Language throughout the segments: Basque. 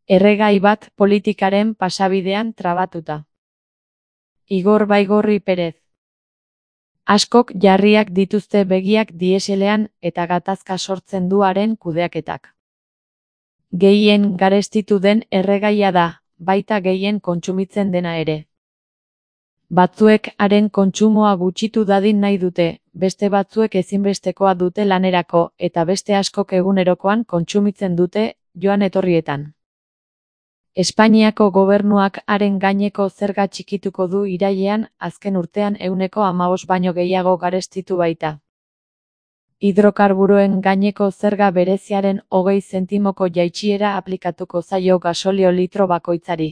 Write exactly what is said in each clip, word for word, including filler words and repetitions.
Erregai bat politikaren pasabidean trabatuta. Igor Baigorri Perez. Askok jarriak dituzte begiak dieselean eta gatazka sortzen du haren kudeaketak. Gehien garestitu den erregaia da, baita gehien kontsumitzen dena ere. Batzuek haren kontsumoa gutxitu dadin nahi dute, beste batzuek ezinbestekoa dute lanerako eta beste askok egunerokoan kontsumitzen dute joan etorrietan. Espainiako gobernuak haren gaineko zerga txikituko du irailean, azken urtean ehuneko hamabost baino gehiago garestitu baita. Hidrokarburoen gaineko zerga bereziaren hogei zentimoko jaitsiera aplikatuko zaio gasolio litro bakoitzari.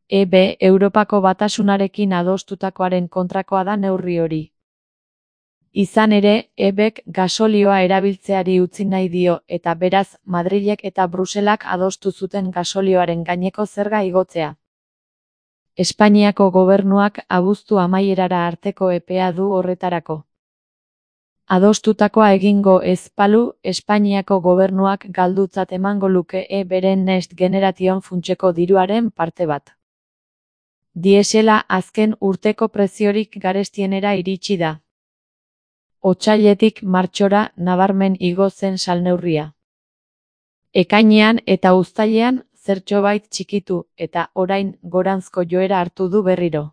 E B Europako Batasunarekin adostutakoaren kontrakoa da neurri hori. Izan ere, E Bk gasolioa erabiltzeari utzi nahi dio eta beraz Madrilek eta Bruselak adostu zuten gasolioaren gaineko zerga igotzea. Espainiako gobernuak abuztu amaierara arteko epea du horretarako. Adostutakoa egingo ez balu, Espainiako gobernuak galdutzat emango luke E Bren Next Generation funtseko diruaren parte bat. Diesela azken urteko preziorik garestienera iritsi da. Otsailetik martxora nabarmen igo zen salneurria. Ekainean eta uztailean zertxobait txikitu eta orain goranzko joera hartu du berriro.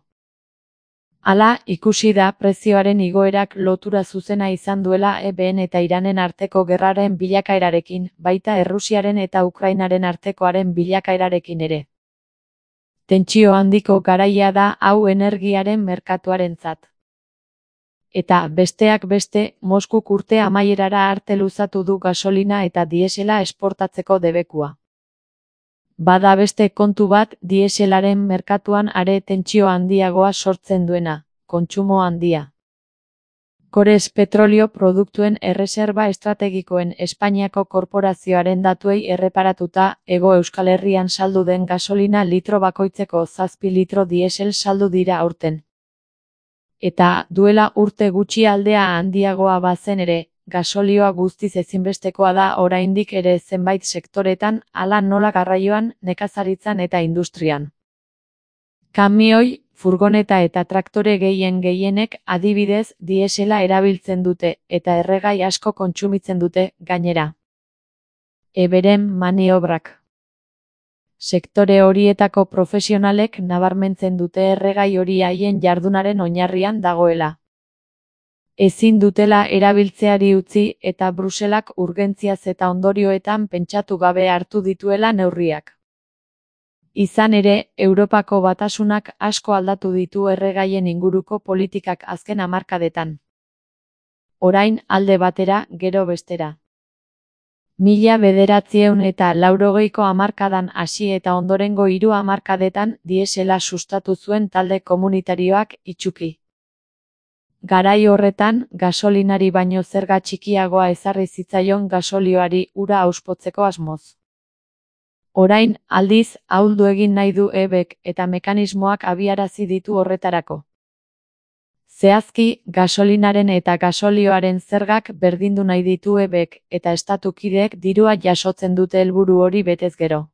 Hala, ikusi da prezioaren igoerak lotura zuzena izan duela E Bn eta Iranen arteko gerraren bilakaerarekin, baita Errusiaren eta Ukrainaren artekoaren bilakaerarekin ere. Tentsio handiko garaia da hau energiaren merkatuarentzat. Eta, besteak beste, Moskuk urte amaierara arte luzatu du gasolina eta diesela esportatzeko debekua. Bada beste kontu bat dieselaren merkatuan are tentsio handiagoa sortzen duena, kontsumo handia. Kores petrolio produktuen erreserba estrategikoen Espainiako korporazioaren datuei erreparatuta, Hego Euskal Herrian saldu den gasolina litro bakoitzeko zazpi litro diesel saldu dira aurten. Eta, duela urte gutxi aldea handiagoa bazen ere, gasolioa guztiz ezinbestekoa da oraindik ere zenbait sektoretan, hala nola garraioan, nekazaritzan eta industrian. Kamioi, furgoneta eta traktore gehien gehienek adibidez diesela erabiltzen dute eta erregai asko kontsumitzen dute, gainera. E Bren maniobrak. Sektore horietako profesionalek nabarmentzen dute erregai hori haien jardunaren oinarrian dagoela. Ezin dutela erabiltzeari utzi eta Bruselak urgentziaz eta ondorioetan pentsatu gabe hartu dituela neurriak. Izan ere, Europako Batasunak asko aldatu ditu erregaien inguruko politikak azken hamarkadetan. Orain alde batera, gero bestera. Mila bederatziehun eta laurogeiko hamarkadan hasi eta ondorengo hiru hamarkadetan diesela sustatu zuen talde komunitarioak itsuki. Garai horretan, gasolinari baino zerga txikiagoa ezarri zitzaion gasolioari ura auspotzeko asmoz. Orain, aldiz, ahuldu egin nahi du E Bk eta mekanismoak abiarazi ditu horretarako. Zehazki, gasolinaren eta gasolioaren zergak berdindu nahi ditu E Bk eta estatukideek dirua jasotzen dute helburu hori betez gero.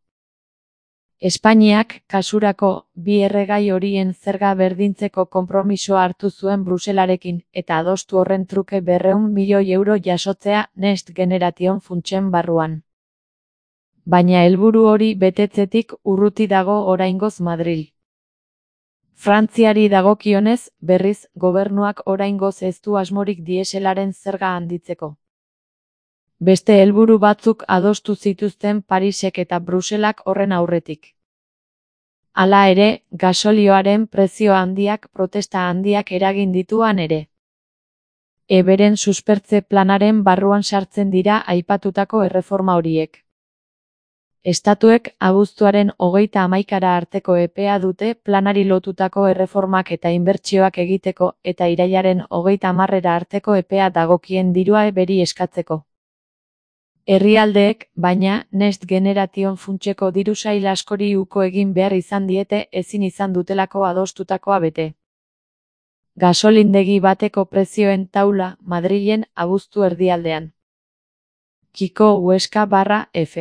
Espainiak, kasurako, bi erregai horien zerga berdintzeko konpromisoa hartu zuen Bruselarekin eta adostu horren truke berrehun milioi euro jasotzea Next Generation funtsen barruan. Baina helburu hori betetzetik urruti dago oraingoz Madril. Frantziari dagokionez, berriz, gobernuak oraingoz ez du asmorik dieselaren zerga handitzeko. Beste helburu batzuk adostu zituzten Parisek eta Bruselak horren aurretik. Hala ere, gasolioaren prezio handiak protesta handiak eragin dituan ere. E Bren suspertze planaren barruan sartzen dira aipatutako erreforma horiek. Estatuek abuztuaren hogeita hamaikara arteko epea dute planari lotutako erreformak eta inbertsioak egiteko eta irailaren hogeita hamarrera arteko epea dagokien dirua E Bri eskatzeko. Herrialdeek, baina, Next Generation funtseko diru sail askori uko egin behar izan diete ezin izan dutelako adostutakoa bete. Gasolindegi bateko prezioen taula, Madrilen abuztu erdialdean. Kiko Huesca barra F.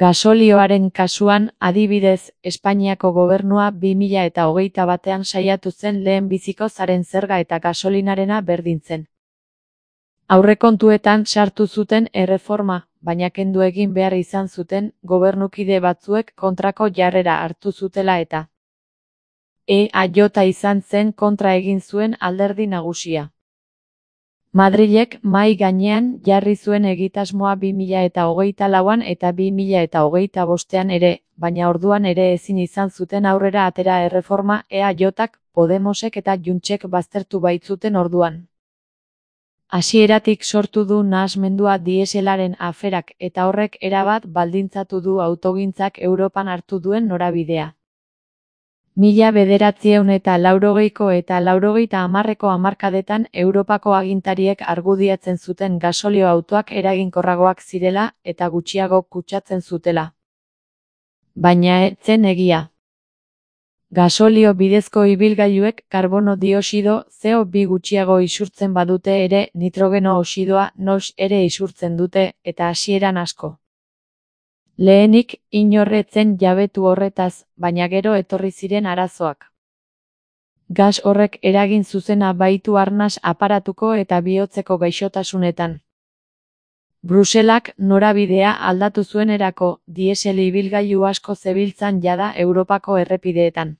Gasolioaren kasuan, adibidez, Espainiako gobernua bi mila eta hogeita batean saiatu zen lehenbiziko zaren zerga eta gasolinarena berdintzen. Aurrekontuetan sartu zuten erreforma, baina kendu egin behar izan zuten gobernukide batzuek kontrako jarrera hartu zutela eta E A J izan zen kontra egin zuen alderdi nagusia. Madrilek mahai gainean jarri zuen egitasmoa bi mila eta hogeita lauan eta bi mila eta hogeita bostean ere, baina orduan ere ezin izan zuten aurrera atera erreforma E A Jk, Podemosek eta Juntsek baztertu baitzuten orduan. Hasieratik sortu du nahasmendua dieselaren aferak eta horrek erabat baldintzatu du autogintzak Europan hartu duen norabidea. Mila bederatziehun eta laurogeiko eta laurogeita hamarreko hamarkadetan Europako agintariek argudiatzen zuten gasolio autoak eraginkorragoak zirela eta gutxiago kutsatzen zutela. Baina ez zen egia. Gasolio bidezko ibilgailuek karbono dioxido C O bi gutxiago isurtzen badute ere nitrogeno oxidoa NOx ere isurtzen dute eta hasieran asko. Lehenik, inorretzen jabetu horretaz, baina gero etorri ziren arazoak. Gas horrek eragin zuzena baitu arnas aparatuko eta bihotzeko gaixotasunetan. Bruselak norabidea aldatu zuenerako, diesel ibilgailu asko zebiltzan jada Europako errepideetan.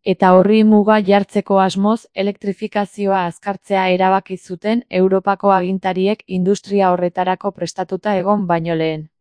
Eta horri muga jartzeko asmoz, elektrifikazioa azkartzea erabaki zuten Europako agintariek industria horretarako prestatuta egon baino lehen.